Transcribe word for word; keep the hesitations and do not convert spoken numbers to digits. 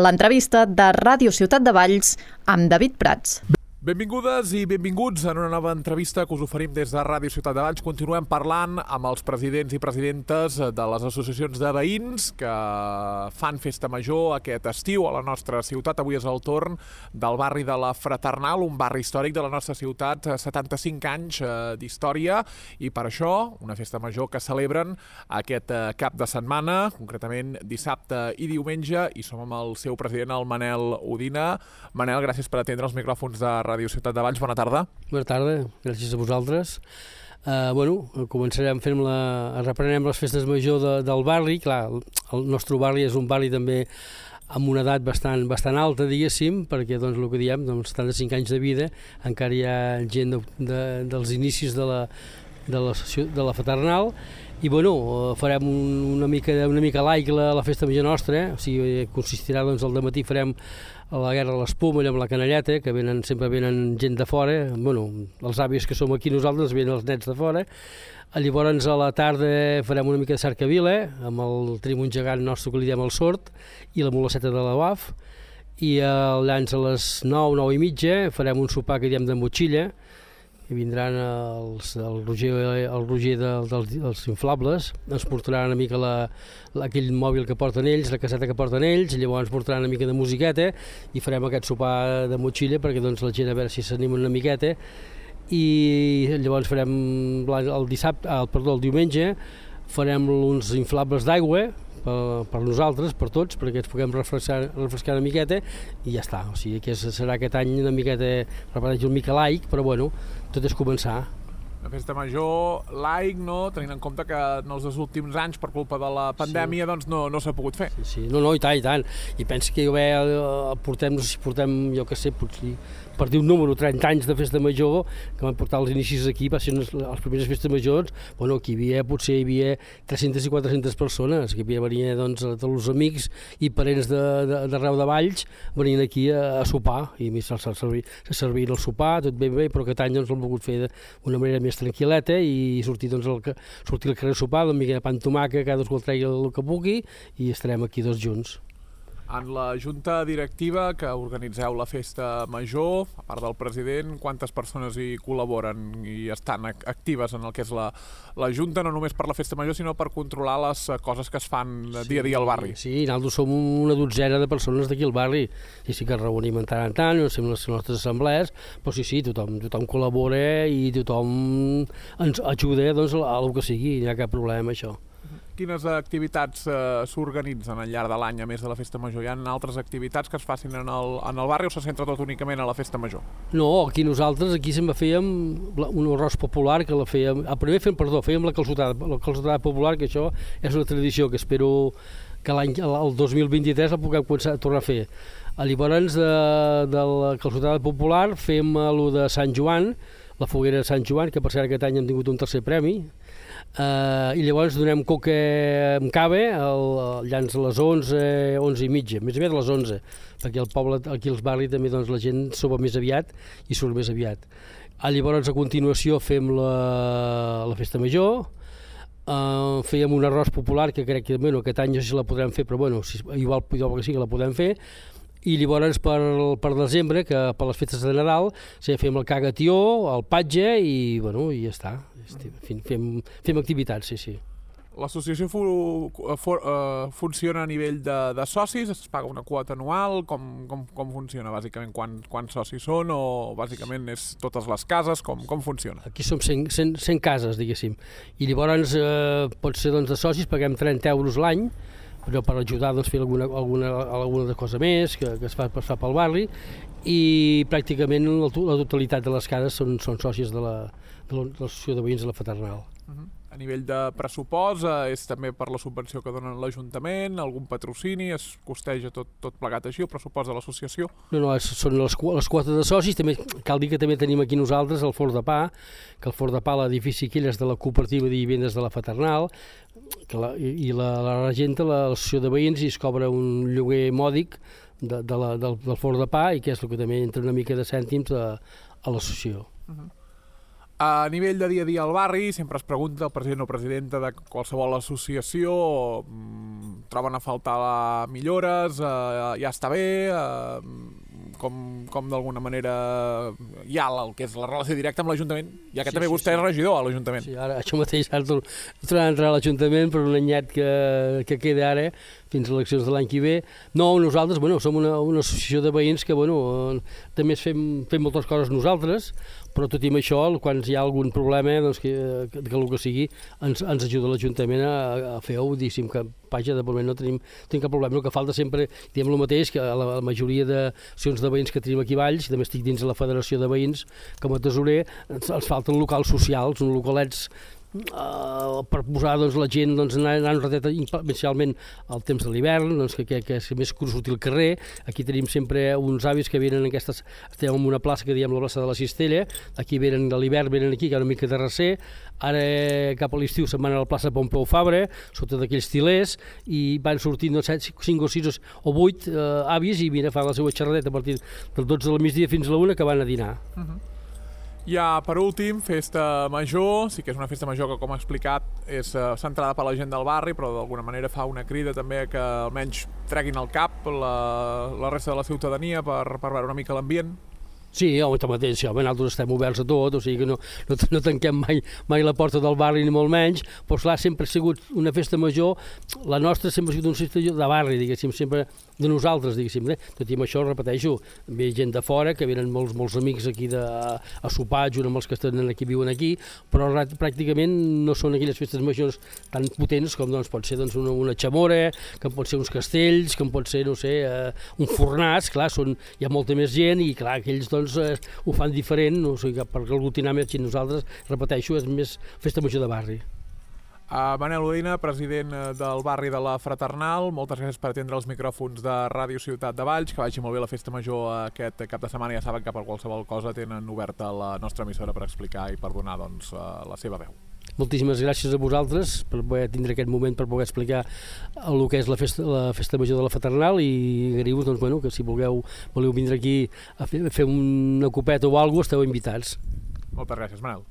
L'entrevista de Ràdio Ciutat de Valls amb David Prats. Benvingudes i benvinguts en una nova entrevista que us oferim des de Ràdio Ciutat de Valls. Continuem parlant amb els presidents i presidentes de les associacions de veïns que fan festa major aquest estiu a la nostra ciutat. Avui és el torn del barri de la Fraternal, un barri històric de la nostra ciutat, setanta-cinc anys d'història, i per això una festa major que celebren aquest cap de setmana, concretament dissabte i diumenge, i som amb el seu president, el Manel Udina. Manel, gràcies per atendre els micròfons de Ràdio Ciutat de Valls. Bona tarda. Bona tarda, gràcies a vosaltres. Uh, bueno, començarem fent la... reprenem les festes major de, del barri. Clar, el nostre barri és un barri també amb una edat bastant, bastant alta, diguéssim, perquè doncs, el que diem, doncs, setanta-cinc anys de vida, encara hi ha gent de, de, dels inicis de la, de la, de la Fraternal, i bueno, farem una mica, una mica laic la, la festa major nostra, eh? O sigui, consistirà, doncs, al dematí farem la guerra de l'espuma amb la canalleta, que venen, sempre venen gent de fora, bueno, els avis que som aquí nosaltres, venen els nets de fora. Llavors a la tarda farem una mica de cercavila, amb el trimun gegant nostre que li diem el sord, i la mulasseta de la U A F, i llavors a les nou, nou i mitja farem un sopar que diem de motxilla, i vindran els, el Roger, el Roger de, dels, dels inflables, ens portaran una mica la, la, aquell mòbil que porten ells, la caseta que porten ells, i llavors ens portaran una mica de musiqueta i farem aquest sopar de motxilla perquè doncs, la gent a veure si s'anima una miqueta, i llavors farem el dissabte, el, perdó, el diumenge farem uns inflables d'aigua per, per nosaltres, per tots, perquè ens puguem refrescar, refrescar una miqueta, i ja està. O sigui que serà aquest any una miqueta, repeteixo, una mica laic, però bueno, tot és començar. La festa major laic, no? Tenint en compte que en els dos últims anys, per culpa de la pandèmia, sí, doncs no, no s'ha pogut fer. Sí, sí, no, no, i tant, i tant. I penso que bé, portem, no sé si portem, jo què sé, potser, per dir un número, trenta anys de festa major, que van portar els inicis aquí, va ser les primeres festes majors, bueno, aquí hi havia, potser hi havia tres-centes i quatre-centes persones, que hi havia, venia, doncs, tots els amics i parents d'arreu de Valls, venien aquí a, a sopar, i se servien el sopar, tot ben bé, però aquest any doncs l'hem volgut fer d'una manera més tranquil·leta i sortir, doncs, al, sortir al carrer a sopar, una mica de pa amb tomàquet, cadascú el tregui el que pugui, i estarem aquí tots junts. En la junta directiva que organitzeu la festa major, a part del president, quantes persones hi col·laboren i estan actives en el que és la, la junta, no només per la festa major, sinó per controlar les coses que es fan dia a dia al barri? Sí, nosaltres som una dotzena de persones d'aquí al barri, i sí que ens reunim en tant en tant, fem les nostres assemblees, però sí, sí, tothom, tothom col·labora i tothom ens ajuda, doncs, a el que sigui, no hi ha cap problema amb això. Quines activitats eh, s'organitzen al llarg de l'any, a més de la festa major? Hi ha altres activitats que es facin en el, en el barri o se centra tot únicament a la festa major? No, aquí nosaltres, aquí sempre fèiem un arròs popular que la fèiem, a primer fèiem, perdó, fèiem la calçotada, la calçotada popular, que això és una tradició que espero que l'any, el dos mil vint-i-tres la puguem començar a tornar a fer. Llavors de, de la calçotada popular fem el de Sant Joan, la foguera de Sant Joan, que per cert aquest any hem tingut un tercer premi, Uh, i llavors donem coca amb cava al llanç a les onze, onze i mitja, més aviat a les onze, perquè al poble, aquí als barris també doncs, la gent sopa més aviat i surt més aviat. Uh, llavors a continuació fem la, la festa major, uh, fèiem un arròs popular que crec que bueno, aquest any no sé si la podrem fer, però bueno, si, igual, igual que sí que la podem fer. I llavors per, per desembre, que per les festes de Nadal, sí, fem el cagatió, el patge i, bueno, i ja està. Fem, fem, fem activitats, sí, sí. L'associació fu, fu, uh, funciona a nivell de, de socis? Es paga una quota anual? Com, com, com funciona, bàsicament? Quan, quants socis són? O bàsicament és totes les cases? Com, com funciona? Aquí som cent, cent, cent cases, diguéssim. I llavors eh, pot ser doncs, de socis, paguem trenta euros l'any, però per ajudar doncs, a fer alguna, alguna, alguna cosa més que, que es fa passar pel barri, i pràcticament la, la totalitat de les cases són, són sòcies de l'associació de veïns de la Fraternal. Uh-huh. A nivell de pressupost, eh, és també per la subvenció que donen l'Ajuntament, algun patrocini, es costeja tot, tot plegat així, el pressupost de l'associació? No, no, són les, les quotes de socis, també cal dir que també tenim aquí nosaltres el Forn de Pa, que el Forn de Pa, l'edifici aquell és de la cooperativa de vivendes de la Fraternal, que la, i la, la regenta l'associació de veïns i es cobra un lloguer mòdic de, de la, del, del Forn de Pa, i que és el que també entra una mica de cèntims a, a l'associació. Uh-huh. A nivell de dia a dia al barri, sempre es pregunta el president o presidenta de qualsevol associació, troben a faltar millores, eh, ja està bé, eh, com, com d'alguna manera hi ha el que és la relació directa amb l'Ajuntament, ja que sí, també sí, vostè sí. és regidor a l'Ajuntament. Sí, ara això mateix ara tornarà a entrar a l'Ajuntament per un anyet que, que queda ara fins a eleccions de l'any que ve. No, nosaltres, bueno, som una, una associació de veïns que, bueno, també fem, fem moltes coses nosaltres, però tot i amb això, quan hi ha algun problema, doncs que, que, que el que sigui, ens, ens ajuda l'Ajuntament a, a fer-ho, diguéssim, que vaja, de moment no tenim, tenim cap problema. El que falta sempre, diem el mateix, que la, la majoria d'associacions de veïns que tenim aquí a Valls, també estic dins de la Federació de Veïns, com a tesorer, ens, ens falten locals socials, uns localets Uh, per posar doncs, la gent doncs, anar, anar un ratet inicialment al temps de l'hivern, doncs, que, que, que és més curs sortir al carrer. Aquí tenim sempre uns avis que venen en aquestes, estem en una plaça que diem la plaça de la Cistella, aquí venen de l'hivern, venen aquí, que hi ha una mica de recer, ara cap a l'estiu se'n van a la plaça Pompeu Fabra, sota d'aquells tilers, i van sortint doncs, cinc o sis o vuit uh, avis i vine a fer la seva xerradeta a partir del dotze del migdia fins a la una que van a dinar. Uh-huh. Ja, per últim, festa major, sí que és una festa major que, com ha explicat, és uh, centrada per la gent del barri, però d'alguna manera fa una crida també que almenys treguin al cap la, la resta de la ciutadania per, per veure una mica l'ambient. Sí, home, mateix, sí, home, nosaltres estem oberts a tot, o sigui que no, no, no tanquem mai, mai la porta del barri ni molt menys, però clar, sempre ha sigut una festa major, la nostra sempre ha sigut una festa de barri, diguéssim, sempre de nosaltres, diguéssim, eh? Tot i amb això, repeteixo, ve gent de fora, que venen molts, molts amics aquí de, a sopar, junt amb els que estan aquí, viuen aquí, però pràcticament no són aquelles festes majors tan potents com doncs, pot ser doncs, una, una xamora, com pot ser uns castells, com pot ser, no sé, eh, un fornàs, clar, són, hi ha molta més gent i clar, aquells doncs, doncs eh, ho fan diferent, no? O sigui que per aglutinar més gent nosaltres, repeteixo, és més festa major de barri. Uh, Manel Udina, president del barri de la Fraternal, moltes gràcies per atendre els micròfons de Ràdio Ciutat de Valls, que vagi molt bé la festa major aquest cap de setmana. Ja saben que per qualsevol cosa tenen oberta la nostra emissora per explicar i per donar doncs, uh, la seva veu. Moltíssimes gràcies a vosaltres per poder tindre aquest moment per poder explicar el que és la festa, la festa major de la Fraternal i agraïu-vos doncs, bueno, que si voleu, voleu vindre aquí a fer, a fer una copeta o alguna cosa esteu invitats. Moltes gràcies, Manel.